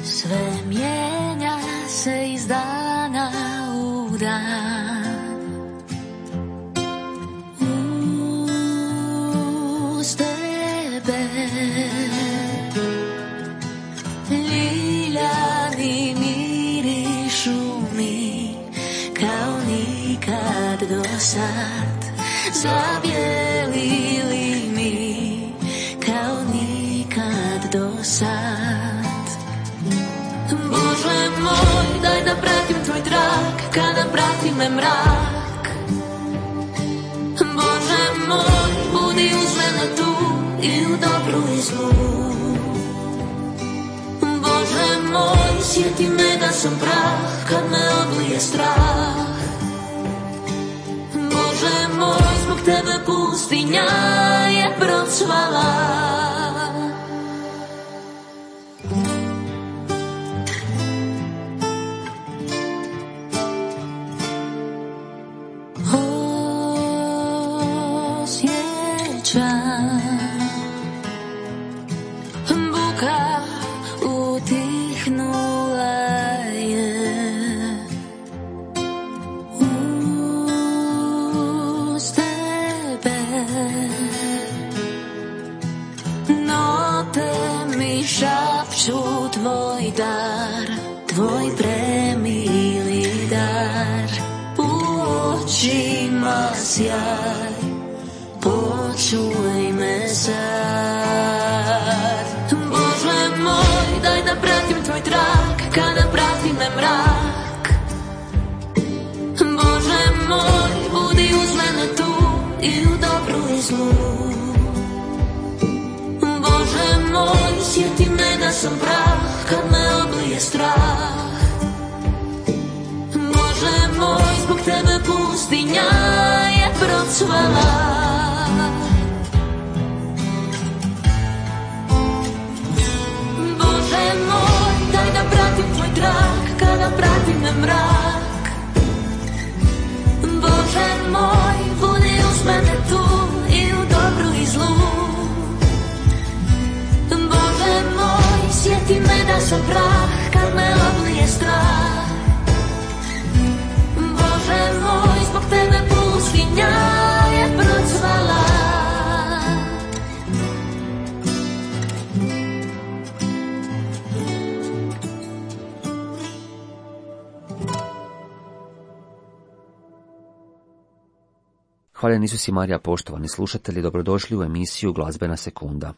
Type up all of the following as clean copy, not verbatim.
Sve mijenja se iz dana u dan. Uz tebe ljiljani mirišu mi kao nikad do sad. Zabijelili mi kao nikad do sad. Bože moj, daj da pratim tvoj trak, kada prati me mrak. Bože moj, budi uz mene tu i u dobru i zlu. Bože moj, sjeti me da sam prah, kad me oblije strah. Bože moj, zbog tebe pustinja je procvala. Buka utihnula je. Uz tebe note mi šapću tvoj dar, tvoj premili dar. U očima sjaj, počuj me sad. Bože moj, daj da pratim tvoj trak, kada prati me mrak. Bože moj, budi uz mene tu i u dobru i zlu. Bože moj, sjeti me da sam prah, kad me oblije strah. Bože moj, zbog tebe pustinja je procvala. Kada prati me mrak. Bože moj, budi uz mene tu i u dobru i zlu. Bože moj, sjeti me da sam prah, kad me oblije strah. Bože moj, zbog tebe pustinja je procvala. Hvaljen Isus i Marija, poštovani slušatelji, dobrodošli u emisiju Glazbena sekunda.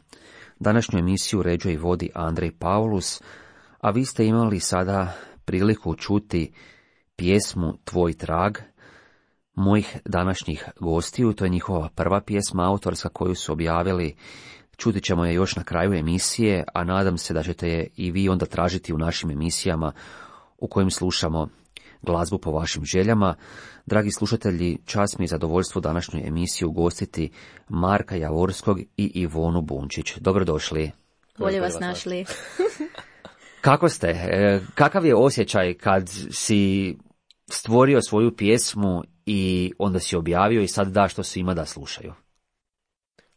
Današnju emisiju uređuje i vodi Andrej Paulus, a vi ste imali sada priliku čuti pjesmu Tvoj trag mojih današnjih gostiju. To je njihova prva pjesma autorska koju su objavili. Čuti ćemo je još na kraju emisije, a nadam se da ćete je i vi onda tražiti u našim emisijama u kojim slušamo glazbu po vašim željama. Dragi slušatelji, čast mi je zadovoljstvo današnju emisiju ugostiti Marka Javorskog i Ivonu Bunčić. Dobrodošli. Bolje vas našli. Kako ste? Kakav je osjećaj kad si stvorio svoju pjesmu i onda si objavio i sad daš to svima da slušaju?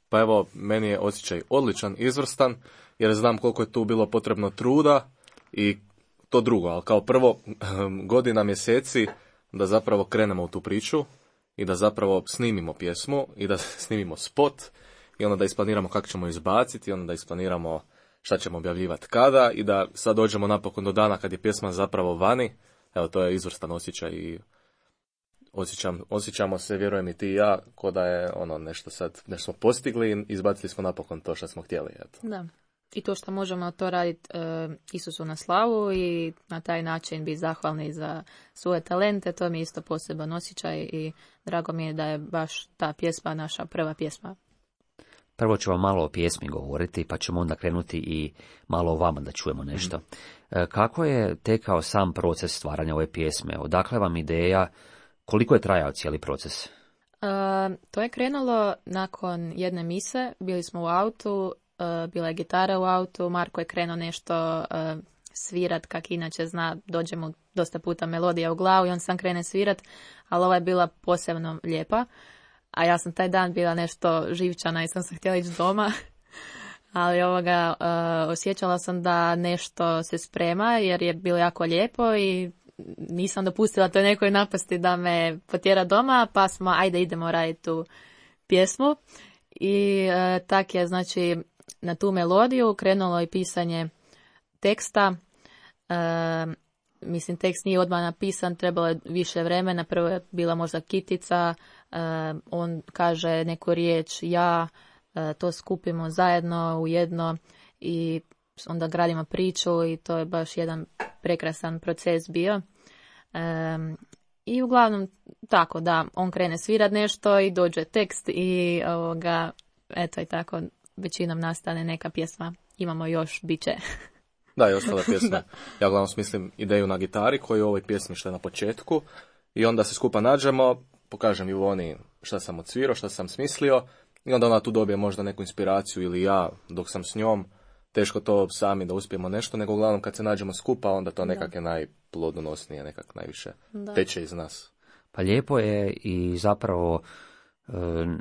Pa evo, meni je osjećaj odličan, izvrstan, jer znam koliko je tu bilo potrebno truda i to drugo, ali kao prvo godina, mjeseci da zapravo krenemo u tu priču i da zapravo snimimo pjesmu i da snimimo spot i onda da isplaniramo kako ćemo izbaciti i onda da isplaniramo šta ćemo objavljivati kada i da sad dođemo napokon do dana kad je pjesma zapravo vani. Evo, to je izvrstan osjećaj i osjećamo se, vjerujem i ti i ja, ko da je nešto smo postigli i izbacili smo napokon to što smo htjeli. Eto. Da. I to što možemo to raditi Isusu na slavu i na taj način biti zahvalni za svoje talente, to mi je isto poseban osjećaj i drago mi je da je baš ta pjesma naša prva pjesma. Prvo ću vam malo o pjesmi govoriti, pa ćemo onda krenuti i malo o vama da čujemo nešto. Kako je tekao sam proces stvaranja ove pjesme? Odakle vam ideja? Koliko je trajao cijeli proces? To je krenulo nakon jedne mise, bili smo u autu, bila je gitara u autu, Marko je krenuo nešto svirat, kak inače zna, dođe mu dosta puta melodija u glavu i on sam krene svirat, ali ova je bila posebno lijepa. a ja sam taj dan bila nešto živčana i sam se htjela ići doma. Ali osjećala sam da nešto se sprema jer je bilo jako lijepo i nisam dopustila toj nekoj napasti da me potjera doma, pa smo ajde idemo raditi tu pjesmu. I tak je znači na tu melodiju krenulo i pisanje teksta. Mislim, tekst nije odmah napisan, trebalo je više vremena. Prvo je bila možda kitica, on kaže neku riječ, ja, to skupimo zajedno u jedno i onda gradimo priču i to je baš jedan prekrasan proces bio. I uglavnom tako da on krene svirat nešto i dođe tekst i eto i tako većinom nastane neka pjesma. Imamo još, bit će. Da, i ostala pjesma. Ja uglavnom smislim ideju na gitari koju u ovoj pjesmi što je na početku i onda se skupa nađemo, pokažem Ivoni šta sam odsvirao, šta sam smislio i onda ona tu dobije možda neku inspiraciju ili ja dok sam s njom. Teško to sami da uspijemo nešto, nego uglavnom kad se nađemo skupa onda to nekak je najplodonosnije, nekak najviše teče iz nas. Pa lijepo je i zapravo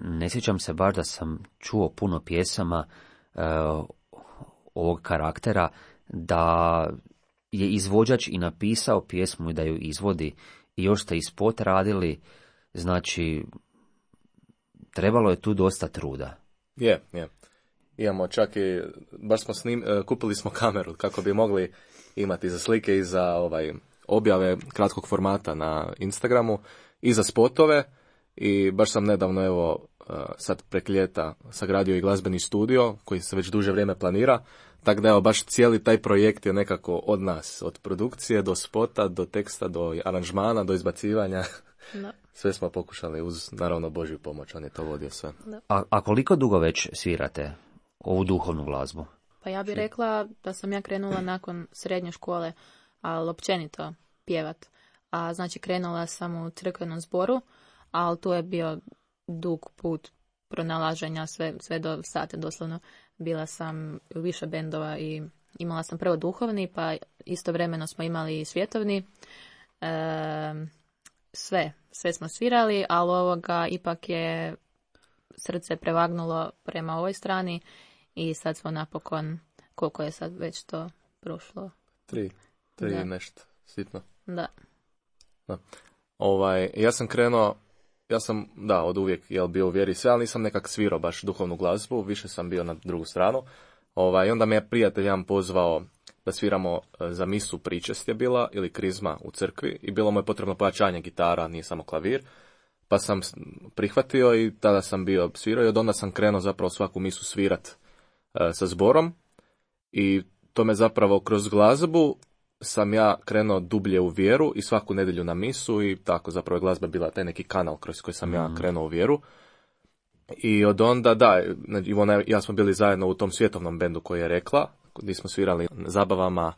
ne sjećam se baš da sam čuo puno pjesama ovog karaktera, da je izvođač i napisao pjesmu i da ju izvodi i još ste i spot radili, znači trebalo je tu dosta truda. Je. Imamo čak i, baš smo kupili smo kameru kako bi mogli imati za slike i za objave kratkog formata na Instagramu i za spotove i baš sam nedavno sad prek ljeta sagradio i glazbeni studio koji se već duže vrijeme planira, tako da baš cijeli taj projekt je nekako od nas, od produkcije do spota, do teksta, do aranžmana, do izbacivanja. No. Sve smo pokušali uz naravno Božju pomoć, on je to vodio sve. No. A koliko dugo već svirate ovu duhovnu glazbu? Pa ja bih rekla da sam ja krenula nakon srednje škole, ali općenito pjevat. A znači krenula sam u crkvenom zboru, ali tu je bio dug put pronalaženja sve do sata doslovno. Bila sam u više bendova i imala sam prvo duhovni, pa istovremeno smo imali i svjetovni. Sve smo svirali, ali ipak je srce prevagnulo prema ovoj strani i sad smo napokon, koliko je sad već to prošlo? 3 nešto, sitno. Da. Ja sam od uvijek bio u vjeri sve, ali nisam nekak svirao baš duhovnu glazbu, više sam bio na drugu stranu. I onda me je prijatelj jedan pozvao da sviramo za misu pričest je bila, ili krizma u crkvi, i bilo mu je potrebno pojačanje gitara, nije samo klavir, pa sam prihvatio i tada sam bio svirao i od onda sam krenuo zapravo svaku misu svirat sa zborom i to me zapravo kroz glazbu sam ja krenuo dublje u vjeru i svaku nedjelju na misu i tako zapravo je glazba bila taj neki kanal kroz koji sam ja krenuo u vjeru. I od onda, Ivona i ja smo bili zajedno u tom svjetovnom bendu koji je rekla, gdje smo svirali na zabavama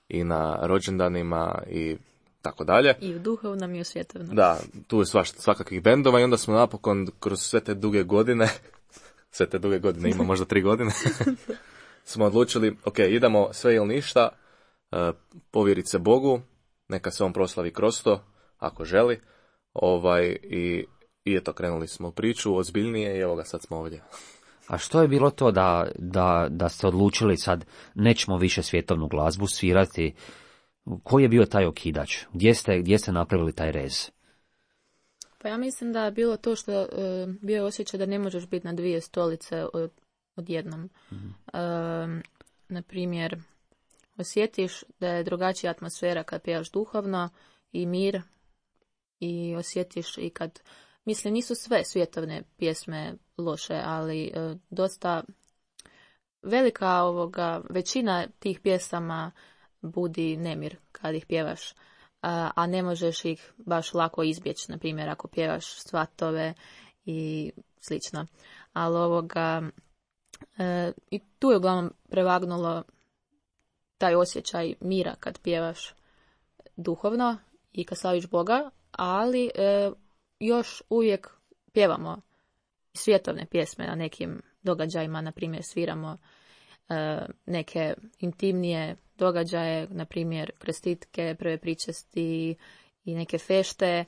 i na rođendanima i tako dalje. I u duhovnom i u svjetovnom. Da, tu je svakakvih bendova i onda smo napokon kroz sve te duge godine, ima možda 3 godine, smo odlučili, ok, idemo sve ili ništa, povjeriti se Bogu, neka se on proslavi kroz to, ako želi, i eto, krenuli smo u priču, ozbiljnije i evo ga, sad smo ovdje. A što je bilo to da ste odlučili sad nećemo više svjetovnu glazbu svirati? Koji je bio taj okidač? Gdje ste napravili taj rez? Pa ja mislim da je bilo to što bio osjećaj da ne možeš biti na 2 stolice odjednom. Na primjer, osjetiš da je drugačija atmosfera kad pjevaš duhovno i mir i osjetiš i kad, mislim, nisu sve svjetovne pjesme loše, ali dosta velika većina tih pjesama budi nemir kad ih pjevaš, a ne možeš ih baš lako izbjeći, na primjer ako pjevaš svatove i slično. Ali i tu je uglavnom prevagnulo taj osjećaj mira kad pjevaš duhovno i kad slaviš Boga, ali još uvijek pjevamo svjetovne pjesme na nekim događajima, na primjer sviramo neke intimnije događaje, na primjer krstitke, prve pričesti i neke fešte,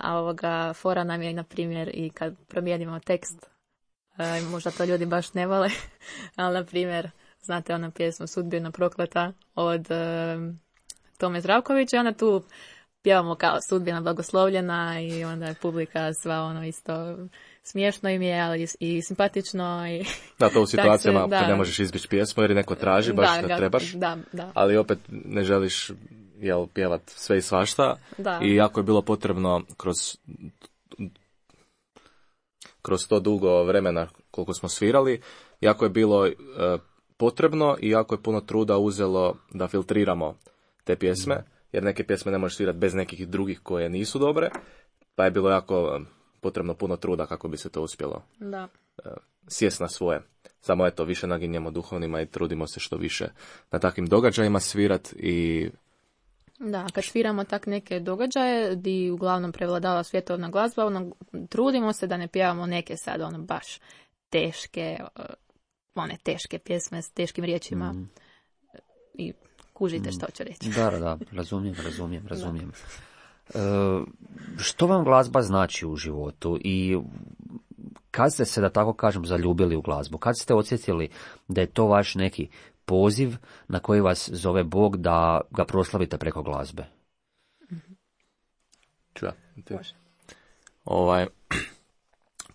A ovoga fora nam je, na primjer, i kad promijenimo tekst, možda to ljudi baš ne vole, ali, na primjer, znate onu pjesmu Sudbina prokleta od Tome Zdravkovića, onda tu pjevamo kao Sudbina blagoslovljena i onda je publika sva ono isto smiješno im je, ali i simpatično. I da, to u situacijama kad ne možeš izbjeći pjesmu jer je neko traži, baš kad trebaš, ali opet ne želiš pjevat sve i svašta. I jako je bilo potrebno kroz to dugo vremena koliko smo svirali, jako je bilo potrebno i jako je puno truda uzelo da filtriramo te pjesme, jer neke pjesme ne možeš svirati bez nekih drugih koje nisu dobre, pa je bilo jako potrebno puno truda kako bi se to uspjelo sjest na svoje. Samo eto, više naginjemo duhovnima i trudimo se što više na takvim događajima svirat i... Da, kad sviramo tak neke događaje gdje uglavnom prevladava svjetovna glazba, trudimo se da ne pjevamo neke sad baš teške pjesme s teškim riječima i kužite što ću reći. Da, razumijem. Što vam glazba znači u životu i kad ste se, da tako kažem, zaljubili u glazbu? Kad ste osjetili da je to vaš neki poziv na koji vas zove Bog da ga proslavite preko glazbe?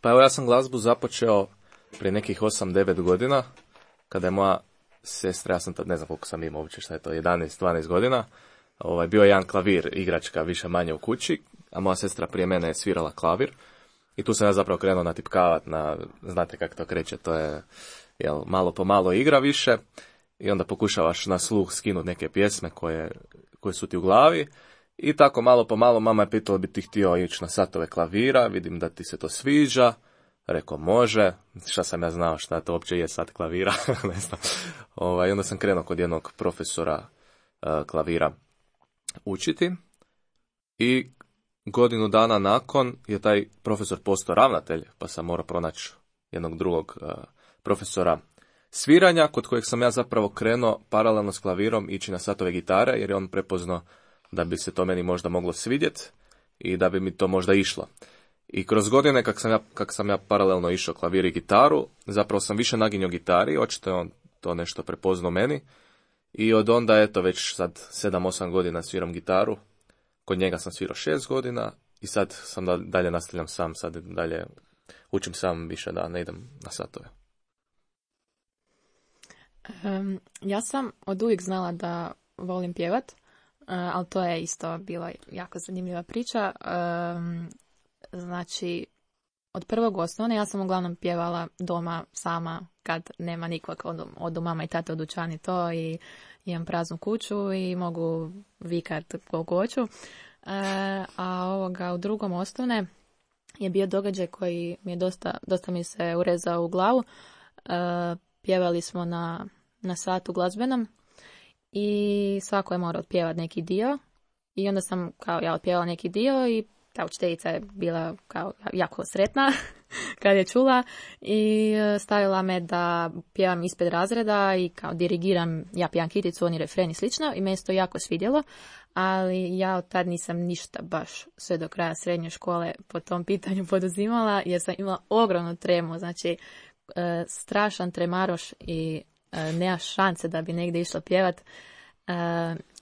Pa evo, ja sam glazbu započeo prije nekih 8-9 godina, kada je moja sestra, ja sam tad, ne znam koliko sam imao uopće, šta je to, 11-12 godina, bio je jedan klavir, igračka više manje u kući, a moja sestra prije mene je svirala klavir i tu sam ja zapravo krenuo natipkavat znate kako to kreće, to je malo po malo igra više i onda pokušavaš na sluh skinuti neke pjesme koje su ti u glavi i tako malo po malo mama je pitala bi ti htio ići na satove klavira, vidim da ti se to sviđa. Rekao, može, šta sam ja znao šta to uopće je sat klavira, ne znam. I onda sam krenuo kod jednog profesora klavira učiti i godinu dana nakon je taj profesor postao ravnatelj, pa sam morao pronaći jednog drugog profesora sviranja, kod kojeg sam ja zapravo krenuo paralelno s klavirom ići na satove gitare, jer je on prepoznao da bi se to meni možda moglo svidjeti i da bi mi to možda išlo. I kroz godine kak sam ja paralelno išao klavir i gitaru, zapravo sam više naginjao gitari, očito je on to nešto prepoznao meni. I od onda, eto, već sad 7-8 godina sviram gitaru, kod njega sam svirao 6 godina i sad sam dalje nastavljam sam, sad dalje učim sam više da ne idem na satove. Ja sam od uvijek znala da volim pjevat, ali to je isto bila jako zanimljiva priča. Znači, od prvog osnovne ja sam uglavnom pjevala doma sama kad nema nikog, od mama i tate u dućani to i imam praznu kuću i mogu vikat koliko hoću. A u drugom osnovne je bio događaj koji mi je dosta mi se urezao u glavu. Pjevali smo na satu glazbenom i svako je morao otpjevati neki dio i onda sam ja otpjevala neki dio i ta učiteljica je bila jako sretna kad je čula i stavila me da pjevam ispred razreda i dirigiram, ja pjevam kiticu, oni refren i slično i meni se to jako svidjelo, ali ja od tad nisam ništa baš sve do kraja srednje škole po tom pitanju poduzimala jer sam imala ogromnu tremu, znači strašan tremaroš i nema šanse da bi negdje išla pjevat.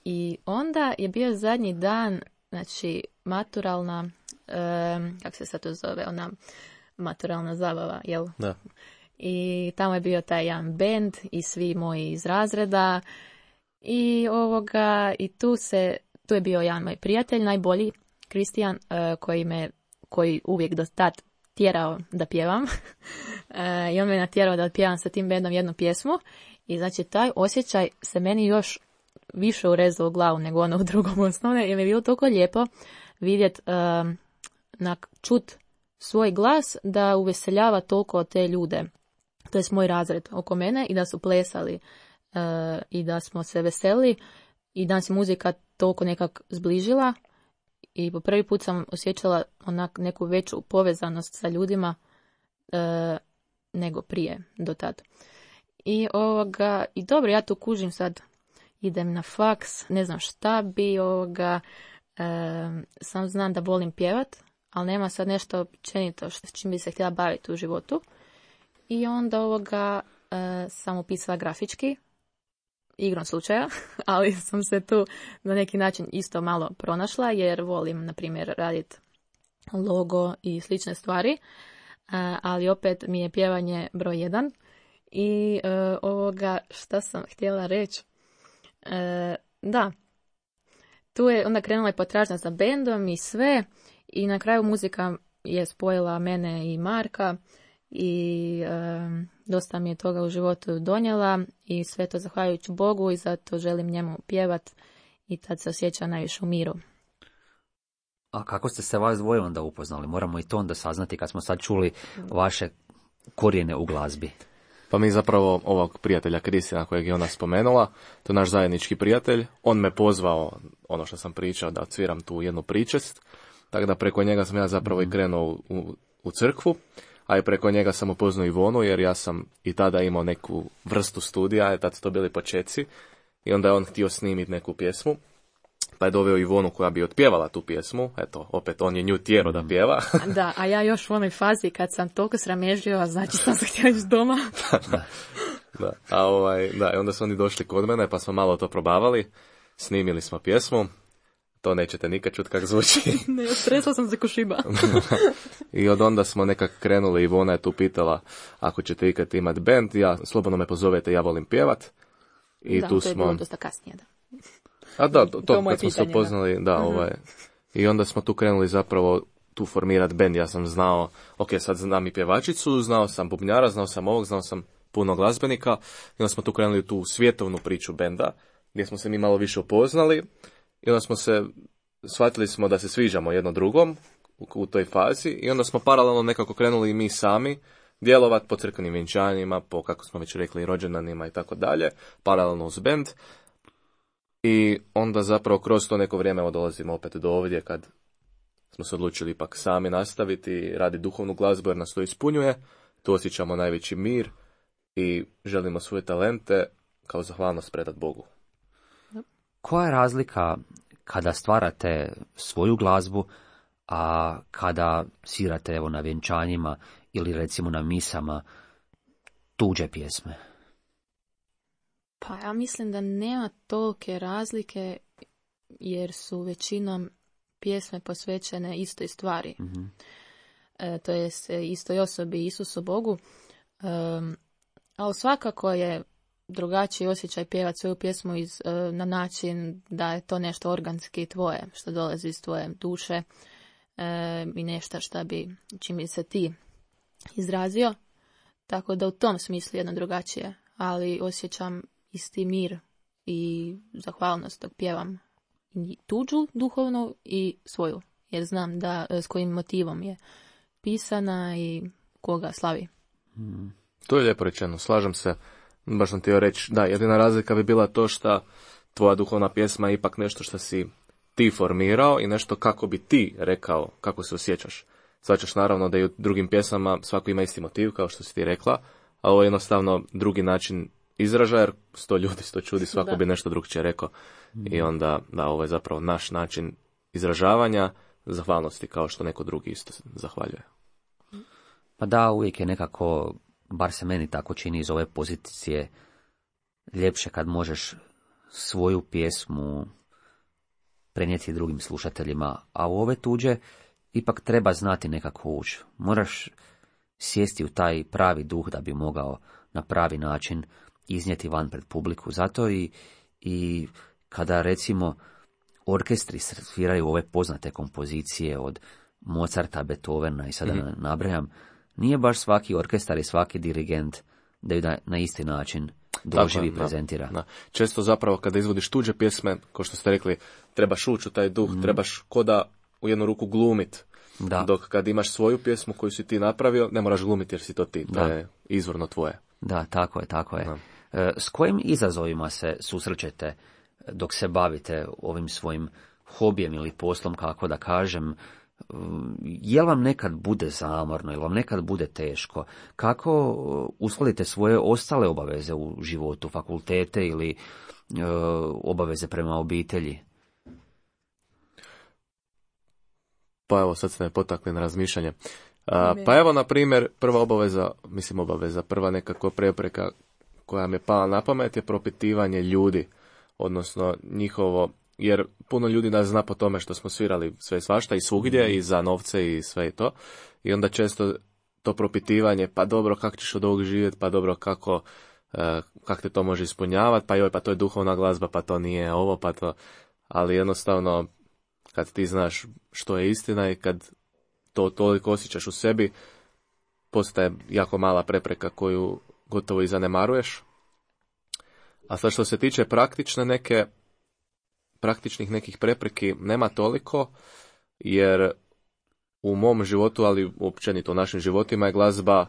I onda je bio zadnji dan, znači maturalna, kako se sad to zove, ona maturalna zabava, jel? Da. I tamo je bio taj jedan bend i svi moji iz razreda i tu je bio jedan moj prijatelj, najbolji, Kristijan, koji uvijek do tad tjerao da pjevam i on me natjerao da pjevam sa tim bendom jednu pjesmu i znači taj osjećaj se meni još više urezao u glavu nego ono u drugom osnovne, jer mi je bilo toliko lijepo vidjeti, čut svoj glas da uveseljava toliko te ljude, to je moj razred oko mene i da su plesali i da smo se veselili i da se muzika toliko nekak zbližila i po prvi put sam osjećala neku veću povezanost sa ljudima nego prije do tad. I dobro, ja tu kužim sad, idem na faks, ne znam šta bi, Sam znam da volim pjevat, ali nema sad nešto općenito s čim bi se htjela baviti u životu. I onda sam upisala grafički, igrom slučaja, ali sam se tu na neki način isto malo pronašla, jer volim, na primjer, raditi logo i slične stvari, ali opet mi je pjevanje broj 1. I šta sam htjela reći? Da, tu je onda krenula potražnja za bendom i sve, i na kraju muzika je spojila mene i Marka i dosta mi je toga u životu donijela i sve to zahvaljujući Bogu i zato želim njemu pjevat i tad se osjeća najviše u miru. A kako ste se vas dvoje onda upoznali? Moramo i to onda saznati kad smo sad čuli vaše korijene u glazbi. Pa mi zapravo ovog prijatelja Kristina kojeg je ona spomenula, to je naš zajednički prijatelj, on me pozvao, ono što sam pričao, da odsviram tu jednu pričest, tako da preko njega sam ja zapravo i krenuo u crkvu, a i preko njega sam upoznao Ivonu, jer ja sam i tada imao neku vrstu studija, tad su to bili počeci, i onda je on htio snimiti neku pjesmu, pa je doveo Ivonu koja bi otpjevala tu pjesmu, eto, opet on je nju tjerao da pjeva. Da, a ja još u onoj fazi kad sam toliko sramežio, znači sam se htjela ići doma. Da, i onda su oni došli kod mene, pa smo malo to probavali, snimili smo pjesmu, to nećete nikad čuti kako zvuči. Ne, stresla sam se ko šiba. I od onda smo nekako krenuli, Ivona je tu pitala, ako ćete ikad imati band, slobodno me pozovete, ja volim pjevat. I da, tu to je smo... bilo dosta kasnije, da. A da, to kad smo se upoznali, I onda smo tu krenuli zapravo tu formirati band. Ja sam znao, sad znam i pjevačicu, znao sam bubnjara, znao sam ovog, znao sam puno glazbenika. I onda smo tu krenuli tu svjetovnu priču benda, gdje smo se mi malo više upoznali. I onda shvatili smo da se sviđamo jedno drugom u toj fazi. I onda smo paralelno nekako krenuli i mi sami djelovati po crkvenim vjenčanjima, po, kako smo već rekli, rođendanima i tako dalje, paralelno uz bend. I onda zapravo kroz to neko vrijeme dolazimo opet do ovdje kad smo se odlučili ipak sami nastaviti, raditi duhovnu glazbu jer nas to ispunjuje, tu osjećamo najveći mir i želimo svoje talente kao zahvalnost predati Bogu. Koja je razlika kada stvarate svoju glazbu, a kada svirate na vjenčanjima ili recimo na misama tuđe pjesme? Pa ja mislim da nema tolike razlike jer su većinom pjesme posvećene istoj stvari. Mm-hmm. To je istoj osobi, Isusu Bogu. Ali svakako je drugačiji osjećaj pjevati svoju pjesmu na način da je to nešto organski tvoje, što dolazi iz tvoje duše i nešto čim bi se ti izrazio. Tako da u tom smislu jedno drugačije, ali osjećam isti mir i zahvalnost dok pjevam i tuđu duhovnu i svoju, jer znam da s kojim motivom je pisana i koga slavi. To je lijepo rečeno, slažem se. Baš sam htio reći, da, jedina razlika bi bila to što tvoja duhovna pjesma je ipak nešto što si ti formirao i nešto kako bi ti rekao kako se osjećaš. Svačaš naravno da i u drugim pjesmama svako ima isti motiv, kao što si ti rekla, a ovo je jednostavno drugi način izražaja, jer 100 ljudi 100 čudi, svako bi nešto drugčije rekao. I onda, da, ovo je zapravo naš način izražavanja zahvalnosti, kao što neko drugi isto zahvaljuje. Pa da, uvijek je nekako, bar se meni tako čini iz ove pozicije, ljepše kad možeš svoju pjesmu prenijeti drugim slušateljima, a u ove tuđe ipak treba znati nekako ući. Moraš sjesti u taj pravi duh da bi mogao na pravi način iznijeti van pred publiku. Zato i kada recimo orkestri sviraju ove poznate kompozicije od Mozarta, Beethovena i sada nabrajam, nije baš svaki orkestar i svaki dirigent da ju na isti način doživi i prezentira. Da. Često zapravo kada izvodiš tuđe pjesme, kao što ste rekli, trebaš ući u taj duh, trebaš ko da u jednu ruku glumit. Da. Dok kad imaš svoju pjesmu koju si ti napravio, ne moraš glumiti jer si to ti, to je izvorno tvoje. Da, tako je. Da. S kojim izazovima se susrećete dok se bavite ovim svojim hobijem ili poslom, kako da kažem? Jel vam nekad bude zamorno, jel vam nekad bude teško? Kako uskladite svoje ostale obaveze u životu, fakultete ili obaveze prema obitelji? Pa evo, sad ste me potakli na razmišljanje. Pa evo, na primjer, prva nekakva prepreka koja mi je pala na pamet je propitivanje ljudi, odnosno njihovo, jer puno ljudi nas zna po tome što smo svirali sve i svašta i svugdje i za novce i sve i to. I onda često to propitivanje, pa dobro, kako ćeš od ovog živjeti, pa dobro, kako te to može ispunjavati, pa joj, pa to je duhovna glazba, pa to nije ovo, pa to... Ali jednostavno, kad ti znaš što je istina i kad to toliko osjećaš u sebi, postaje jako mala prepreka koju gotovo i zanemaruješ. A sad što se tiče praktičnih nekih prepreki nema toliko, jer u mom životu, ali općenito u našim životima je glazba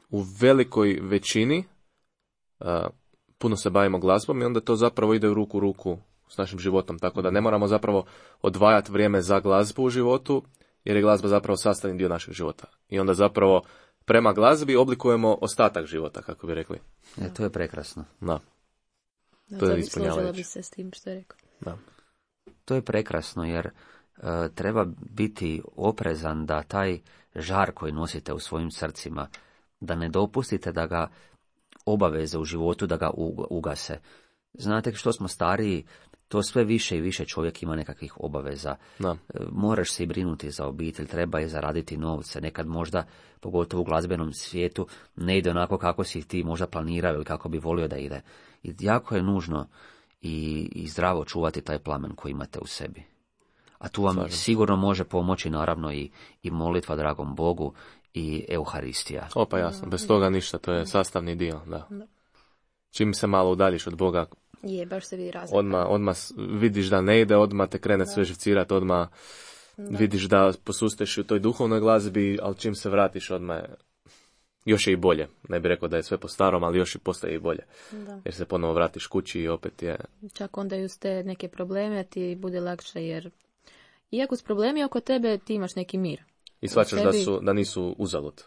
u velikoj većini, puno se bavimo glazbom i onda to zapravo ide u ruku s našim životom, tako da ne moramo zapravo odvajati vrijeme za glazbu u životu, jer je glazba zapravo sastavni dio našeg života. I onda zapravo prema glazbi oblikujemo ostatak života, kako bi rekli. To je prekrasno. Da. To je ispunjavajuće. Složila bi se s tim što je rekao. Da. To je prekrasno, jer treba biti oprezan da taj žar koji nosite u svojim srcima, da ne dopustite da ga obaveze u životu, da ga ugase. Znate, što smo stariji, to sve više i više čovjek ima nekakvih obaveza. Da. Moraš se i brinuti za obitelj, treba je zaraditi novce. Nekad možda, pogotovo u glazbenom svijetu, ne ide onako kako si ti možda planirao ili kako bi volio da ide. I jako je nužno i zdravo čuvati taj plamen koji imate u sebi. A tu vam sigurno može pomoći naravno i molitva dragom Bogu i Euharistija. Pa jasno, bez toga ništa, to je sastavni dio. Da. Čim se malo udaljiš od Boga, baš se vidi razlika. Odmah vidiš da ne ide, odmah te krene sve živcirati, odmah vidiš da posusteš u toj duhovnoj glazbi, ali čim se vratiš odmah još je i bolje. Ne bih rekao da je sve po starom, ali još i postaje i bolje. Da. Jer se ponovo vratiš kući i opet je... Čak onda i uz te neke probleme ti bude lakše, jer iako s problemi oko tebe ti imaš neki mir. I shvaćaš da nisu uzalud.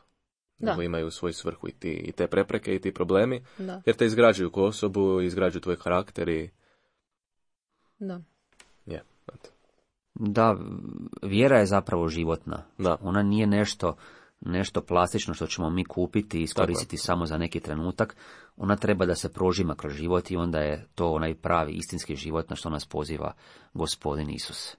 Nego imaju svoju svrhu i te prepreke i ti problemi. Da. Jer te izgrađuju kao osobu, izgrađuju tvoj karakter i... Da. Da, vjera je zapravo životna. Da. Ona nije nešto plastično što ćemo mi kupiti i iskoristiti samo za neki trenutak. Ona treba da se prožima kroz život i onda je to onaj pravi istinski život na što nas poziva Gospodin Isus.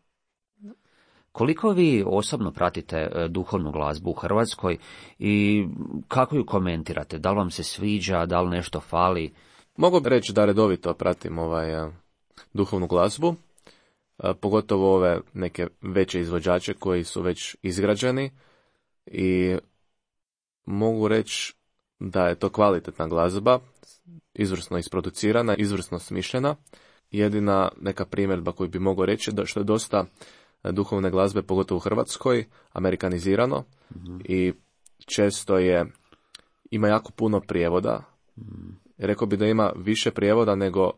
Koliko vi osobno pratite duhovnu glazbu u Hrvatskoj i kako ju komentirate? Da li vam se sviđa, da li nešto fali? Mogu reći da redovito pratim duhovnu glazbu, pogotovo ove neke veće izvođače koji su već izgrađeni i mogu reći da je to kvalitetna glazba, izvrsno isproducirana, izvrsno smišljena. Jedina neka primjedba koju bi mogao reći da što je dosta duhovne glazbe, pogotovo u Hrvatskoj, amerikanizirano i često ima jako puno prijevoda. Rekao bi da ima više prijevoda nego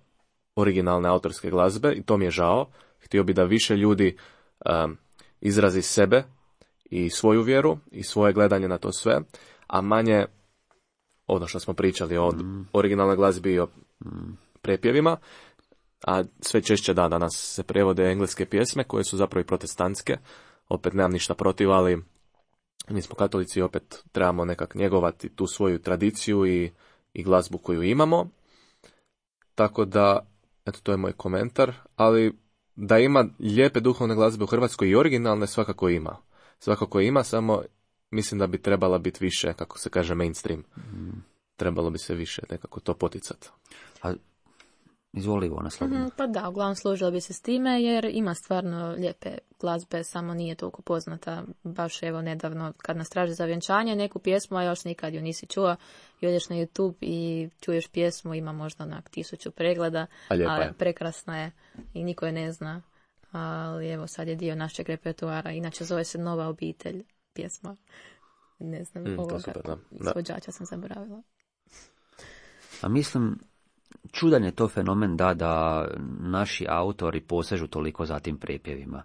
originalne autorske glazbe i to mi je žao. Htio bi da više ljudi izrazi sebe i svoju vjeru i svoje gledanje na to sve, a manje ono što smo pričali o originalnoj glazbi i o prepjevima. A sve češće danas se prevode engleske pjesme koje su zapravo i protestantske. Opet nemam ništa protiv, ali mi smo katolici i opet trebamo nekak njegovati tu svoju tradiciju i glazbu koju imamo. Tako da, eto, to je moj komentar. Ali da ima lijepe duhovne glazbe u Hrvatskoj i originalne, svakako ima. Svakako ima, samo mislim da bi trebala biti više, kako se kaže, mainstream. Trebalo bi se više nekako to poticati. Izvoli, Ivona, slobodno. Pa da, uglavnom složila bi se s time, jer ima stvarno lijepe glazbe, samo nije toliko poznata. Baš evo nedavno, kad nas traži za vjenčanje neku pjesmu, a još nikad ju nisi čuo, i odeš na YouTube i čuješ pjesmu, ima možda 1000 pregleda, ali prekrasna je i niko je ne zna. Ali evo, sad je dio našeg repertoara, inače zove se Nova obitelj pjesma. Ne znam, ovoga izvođača sam zaboravila. A mislim, čudan je to fenomen da naši autori posežu toliko za tim prepjevima.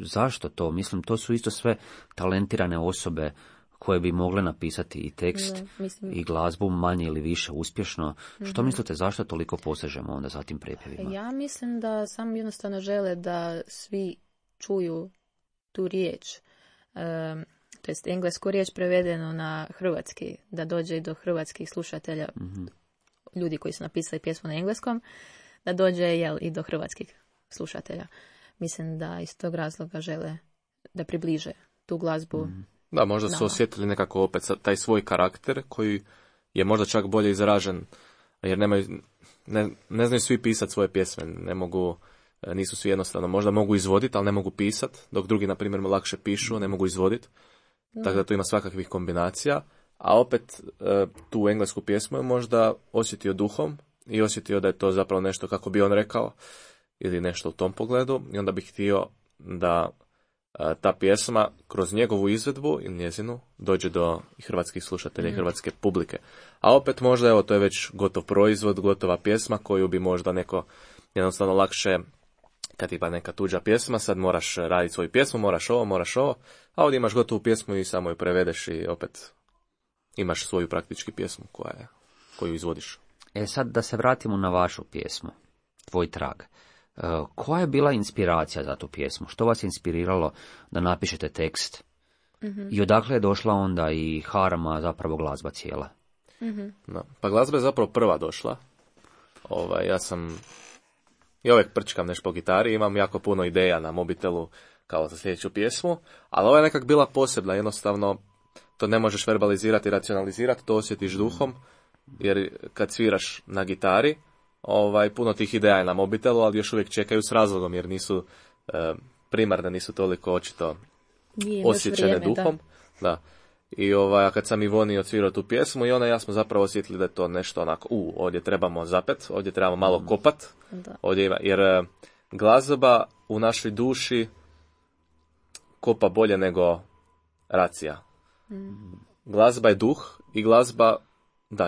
Zašto to? Mislim, to su isto sve talentirane osobe koje bi mogle napisati i tekst i glazbu manje ili više uspješno. Što mislite, zašto toliko posežemo onda za tim prepjevima? Ja mislim da samo jednostavno žele da svi čuju tu riječ, to jest englesku riječ prevedeno na hrvatski, da dođe i do hrvatskih slušatelja, ljudi koji su napisali pjesmu na engleskom, da dođe i do hrvatskih slušatelja. Mislim da iz tog razloga žele da približe tu glazbu. Da, možda su osjetili nekako opet taj svoj karakter koji je možda čak bolje izražen, jer ne znaju svi pisati svoje pjesme, nisu svi jednostavno, možda mogu izvoditi, ali ne mogu pisati, dok drugi, na primjer, lakše pišu, ne mogu izvoditi. Tako da tu ima svakakvih kombinacija, a opet tu englesku pjesmu je možda osjetio duhom i osjetio da je to zapravo nešto kako bi on rekao, ili nešto u tom pogledu, i onda bi htio da ta pjesma kroz njegovu izvedbu ili njezinu dođe do hrvatskih slušatelja i hrvatske publike. A opet možda, evo, to je već gotov proizvod, gotova pjesma koju bi možda neko jednostavno lakše, kad ima neka tuđa pjesma, sad moraš raditi svoju pjesmu, moraš ovo, a ovdje imaš gotovu pjesmu i samo ju prevedeš i opet imaš svoju praktički pjesmu koju izvodiš. Sad da se vratimo na vašu pjesmu, Tvoj trag. Koja je bila inspiracija za tu pjesmu? Što vas je inspiriralo da napišete tekst? I odakle je došla onda i harma, zapravo glazba cijela? No, pa glazba je zapravo prva došla. Ja uvijek prčkam nešto po gitari, imam jako puno ideja na mobitelu kao za sljedeću pjesmu, ali ova je nekak bila posebna, jednostavno to ne možeš verbalizirati i racionalizirati, to osjetiš duhom, jer kad sviraš na gitari, puno tih ideja je na mobitelu, ali još uvijek čekaju s razlogom, jer nisu primarne, nisu toliko očito osjećane duhom. Da. I kad sam Ivoni odsvirao tu pjesmu, i ona i ja smo zapravo osjetili da je to nešto onako, ovdje trebamo zapet, ovdje trebamo malo kopat, jer glazba u našoj duši kopa bolje nego racija. Glazba je duh i glazba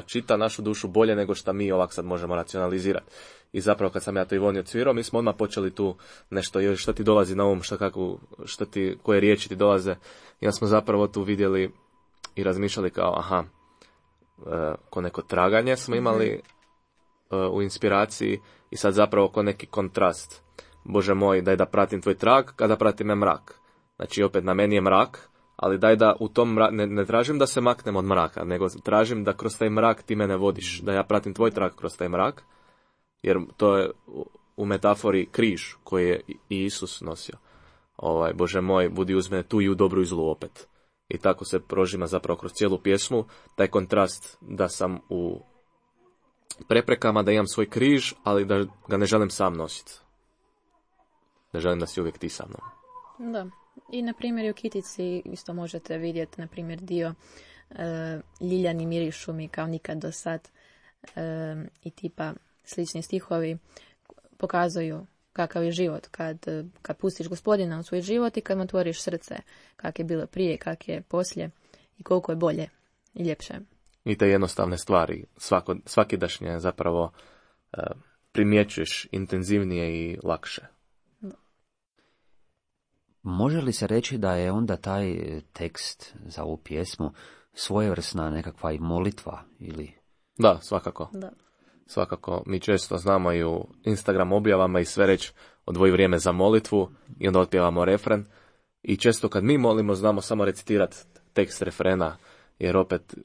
čita našu dušu bolje nego što mi ovak sad možemo racionalizirati. I zapravo kad sam ja to Ivoni odsvirao, mi smo odmah počeli tu nešto, što ti dolazi na um, koje riječi ti dolaze. I onda smo zapravo tu vidjeli i razmišljali kao, ko neko traganje smo imali u inspiraciji i sad zapravo ko neki kontrast. Bože moj, daj da pratim tvoj trag kada pratim mrak. Znači opet na meni je mrak, ali daj da u tom ne tražim da se maknem od mraka, nego tražim da kroz taj mrak ti mene vodiš, da ja pratim tvoj trag kroz taj mrak, jer to je u metafori križ koji je i Isus nosio. Bože moj, budi uz mene tu i u dobru i zlu opet. I tako se prožima zapravo kroz cijelu pjesmu, taj kontrast da sam u preprekama, da imam svoj križ, ali da ga ne želim sam nositi. Ne želim da si uvijek ti sa mnom. Da. I na primjer u Kitici isto možete vidjeti na primjer dio ljiljani mirišu mi kao nikad do sad i tipa slični stihovi pokazuju kakav je život kad pustiš Gospodina u svoj život i kad mu otvoriš srce, kak je bilo prije, kak je poslije i koliko je bolje i ljepše. I te jednostavne stvari svakidašnje zapravo primjećuješ intenzivnije i lakše. Može li se reći da je onda taj tekst za ovu pjesmu svojevrsna nekakva i molitva ili? Da, svakako. Da. Svakako, mi često znamo i u Instagram objavama i sve reći odvoji vrijeme za molitvu i onda otpjevamo refren. I često kad mi molimo znamo samo recitirati tekst refrena, jer opet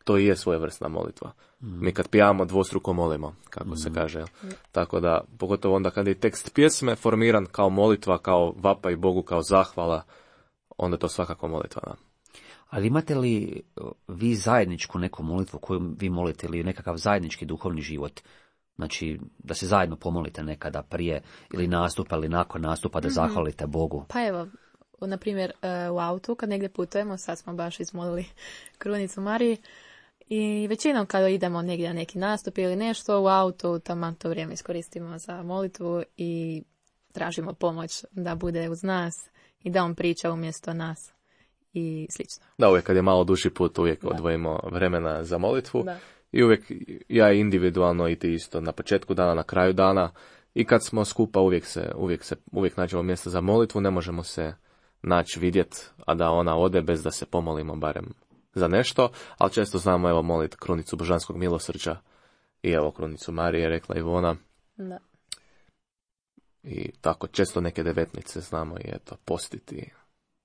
to i je svojevrsna molitva. Mi kad pijamo dvostruko molimo, kako se kaže. Tako da, pogotovo onda kad je tekst pjesme formiran kao molitva, kao vapaj Bogu, kao zahvala, onda je to svakako molitva. Da. Ali imate li vi zajedničku neku molitvu koju vi molite ili nekakav zajednički duhovni život? Znači, da se zajedno pomolite nekada prije ili nastupa ili nakon nastupa da zahvalite Bogu? Pa evo, na primjer u autu kad negdje putujemo, sad smo baš izmolili Krunicu Mariji, i većinom kada idemo negdje na neki nastup ili nešto u autu, taman to vrijeme iskoristimo za molitvu i tražimo pomoć da bude uz nas i da on priča umjesto nas i slično. Da, uvijek kad je malo duži put, uvijek odvojimo vremena za molitvu. Da. I uvijek, ja individualno i ti isto, na početku dana, na kraju dana, i kad smo skupa uvijek nađemo mjesto za molitvu, ne možemo se naći vidjet, a da ona ode bez da se pomolimo barem za nešto, ali često znamo evo moliti Krunicu Božanskog milosrđa i evo Krunicu Marije, rekla Ivona. Da. i tako, često neke devetnice znamo i eto, postiti.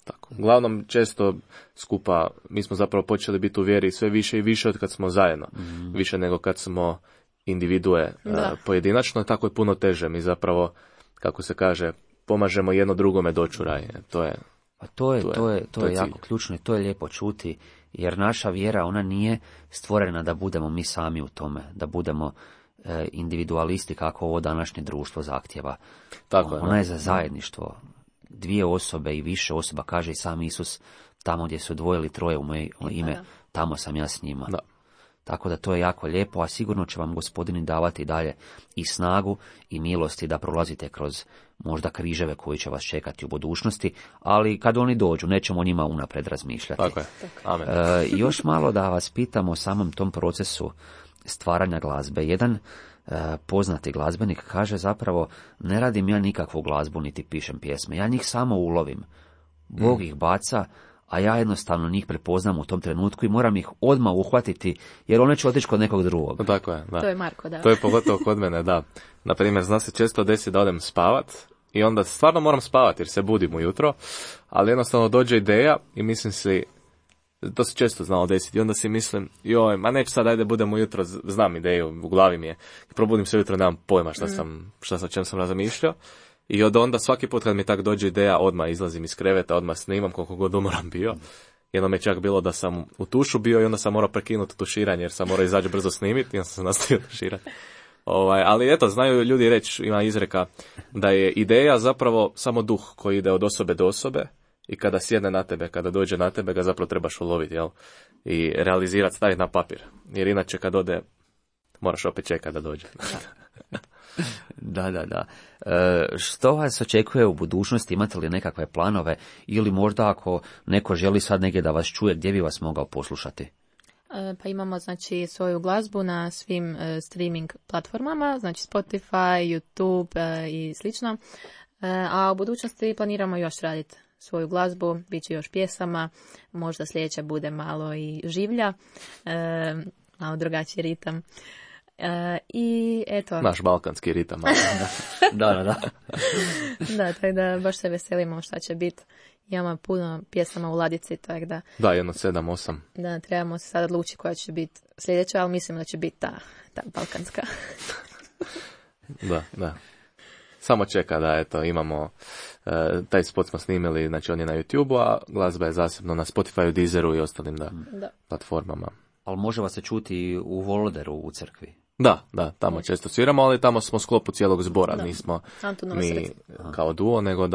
Tako. Uglavnom, često skupa, mi smo zapravo počeli biti u vjeri sve više i više od kad smo zajedno. Više nego kad smo individue pojedinačno, tako je puno teže. Mi zapravo, kako se kaže, pomažemo jedno drugome doći u raj. To je jako ključno i to je lijepo čuti, jer naša vjera, ona nije stvorena da budemo mi sami u tome, da budemo individualisti kako ovo današnje društvo zahtjeva. Ona je za zajedništvo. 2 osobe i više osoba, kaže i sam Isus, tamo gdje su 2 ili 3 u moje ime, tamo sam ja s njima. Da. Tako da to je jako lijepo, a sigurno će vam Gospodin davati dalje i snagu i milosti da prolazite kroz možda križeve koji će vas čekati u budućnosti, ali kad oni dođu, nećemo o njima unaprijed razmišljati. Tako je. Amen. Još malo da vas pitamo o samom tom procesu stvaranja glazbe. Jedan poznati glazbenik kaže zapravo, ne radim ja nikakvu glazbu niti pišem pjesme, ja njih samo ulovim. Bog ih baca, a ja jednostavno njih prepoznam u tom trenutku i moram ih odmah uhvatiti, jer one će otići kod nekog drugog. Tako je, da. To je Marko, da. To je pogotovo kod mene, da. Naprimjer, zna se često desi da odem spavat i onda stvarno moram spavati jer se budim ujutro, ali jednostavno dođe ideja i mislim si, to se često znalo desiti i onda si mislim, joj, ma neću sad, ajde budem ujutro, znam ideju, u glavi mi je. I probudim se ujutro, nemam pojma o čem sam razmišljao. I od onda svaki put kad mi tak dođe ideja, odmah izlazim iz kreveta, odmah snimam koliko god umoran bio. Jednom je čak bilo da sam u tušu bio i onda sam morao prekinuti tuširanje jer sam morao izaći brzo snimiti i onda sam se nastavio tuširati. Ali eto, znaju ljudi reći, ima izreka, da je ideja zapravo samo duh koji ide od osobe do osobe i kada sjedne na tebe, kada dođe na tebe, ga zapravo trebaš uloviti, jel? I realizirati, staviti na papir. Jer inače kad ode, moraš opet čekati da dođe. Da. Što vas očekuje u budućnosti? Imate li nekakve planove? Ili možda ako neko želi sad negdje da vas čuje, gdje bi vas mogao poslušati? Pa imamo znači svoju glazbu na svim streaming platformama, znači Spotify, YouTube i slično. A u budućnosti planiramo još raditi svoju glazbu, bit će još pjesama, možda sljedeća bude malo i življa, malo drugačiji ritam. I eto. Naš balkanski ritam. Da. Da, tako da baš se veselimo šta će biti. Imamo puno pjesama u ladici, tako da. Da, jedno 7-8. Da, trebamo se sad odlučiti koja će biti sljedeća, ali mislim da će biti ta balkanska. Da. Samo čeka da eto, imamo taj spot smo snimili, znači on je na YouTube-u, a glazba je zasebno na Spotify, Deezeru i ostalim platformama. Ali može vas se čuti u Voloderu u crkvi? Da, tamo često sviramo, ali tamo smo u sklopu cijelog zbora, nismo mi kao duo, nego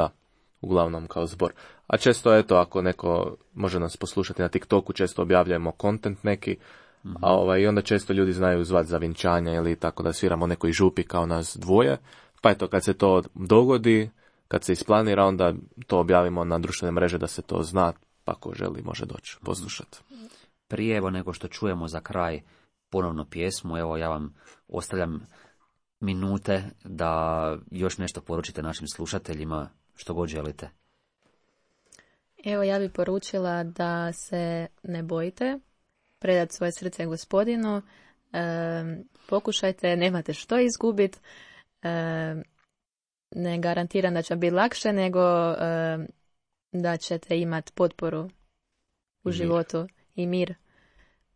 uglavnom kao zbor. A često, eto, ako neko može nas poslušati na TikToku, često objavljujemo content neki, i onda često ljudi znaju zvati za vjenčanja ili tako da sviramo nekoj župi kao nas dvoje, pa eto, kad se to dogodi, kad se isplanira, onda to objavimo na društvene mreže da se to zna, pa ko želi može doći poslušati. Prije nego što čujemo za kraj ponovno pjesmu, evo ja vam ostavljam minute da još nešto poručite našim slušateljima, što god želite. Evo ja bih poručila da se ne bojite, predati svoje srce Gospodinu, pokušajte, nemate što izgubiti, ne garantiram da će biti lakše, nego da ćete imati potporu u životu i mir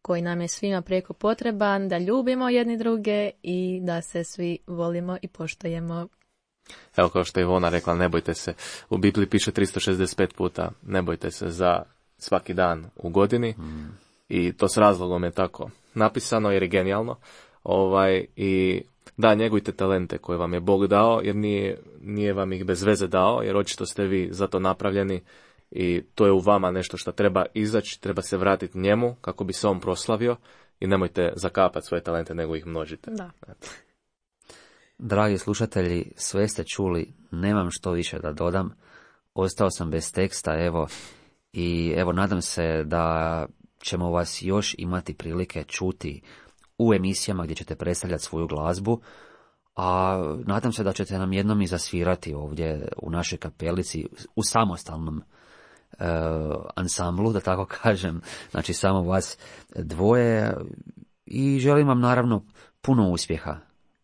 koji nam je svima preko potreban, da ljubimo jedni druge i da se svi volimo i poštujemo. Evo kao što je Ivona rekla, ne bojte se. U Bibliji piše 365 puta, ne bojte se za svaki dan u godini. I to s razlogom je tako napisano jer je genijalno. I da, njegujte talente koje vam je Bog dao, jer nije vam ih bez veze dao, jer očito ste vi za to napravljeni i to je u vama nešto što treba izaći, treba se vratiti njemu kako bi se on proslavio i nemojte zakapati svoje talente, nego ih množite. Da. Dragi slušatelji, sve ste čuli, nemam što više da dodam, ostao sam bez teksta, evo nadam se da ćemo vas još imati prilike čuti u emisijama gdje ćete predstavljati svoju glazbu, a nadam se da ćete nam jednom i zasvirati ovdje u našoj kapelici u samostalnom ansamblu, da tako kažem, znači samo vas dvoje, i želim vam naravno puno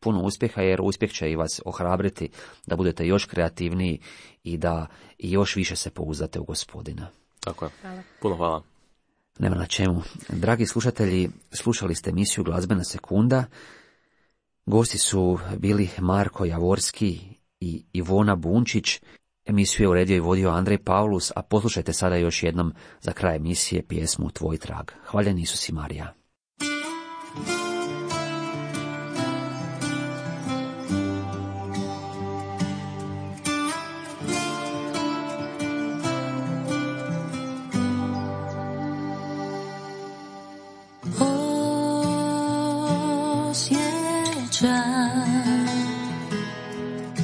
puno uspjeha, jer uspjeh će i vas ohrabriti da budete još kreativniji i da još više se pouzdate u Gospodina. Tako je. Hvala. Puno hvala. Nema na čemu. Dragi slušatelji, slušali ste emisiju Glazbena sekunda. Gosti su bili Marko Javorski i Ivona Bunčić. Emisiju je uredio i vodio Andrej Pavlus, a poslušajte sada još jednom za kraj emisije pjesmu Tvoj trag. Hvaljen Isus i Marija.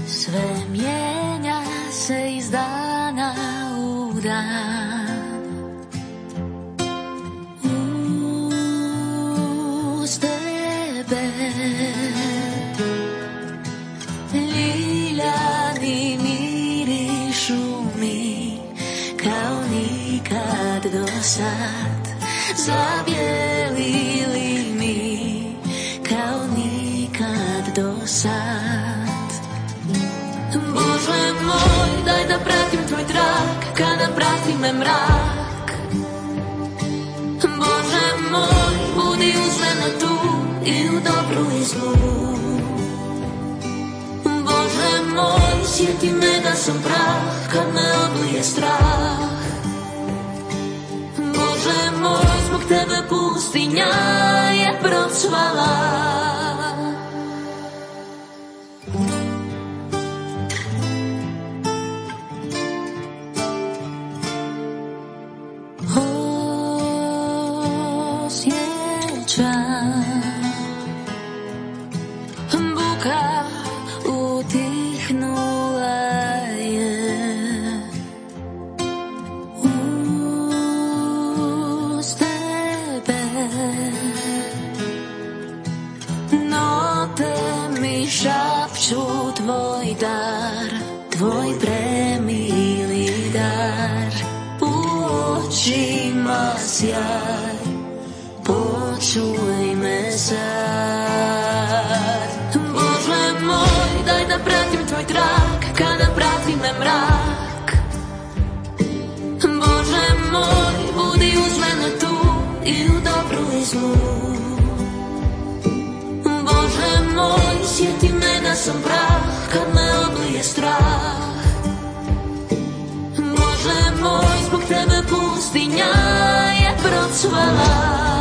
Sve mijenja se iz dana u dan. Uz tebe ljiljani mirišu mi kao nikad do sad. Zabijelili mi kao nikad do sad. Bože moj, daj da pratim tvoj trag, kada prati me mrak. Bože moj, budi uz mene tu i u dobru i zlu. Bože moj, sjeti me da sam prah, kad me oblije strah. Bože moj, zbog tebe pustinja je procvala. Buka utihnula je uz tebe. Note mi šapću tvoj dar, tvoj premili dar. U očima sjaj, počuj me sad. Bože moj, daj da pratim tvoj trag, kada prati me mrak. Bože moj, budi uz mene tu i u dobru i zlu. Bože moj, sjeti me da sam prah, kad me oblije strah. Bože moj, zbog tebe pustinja je procvala.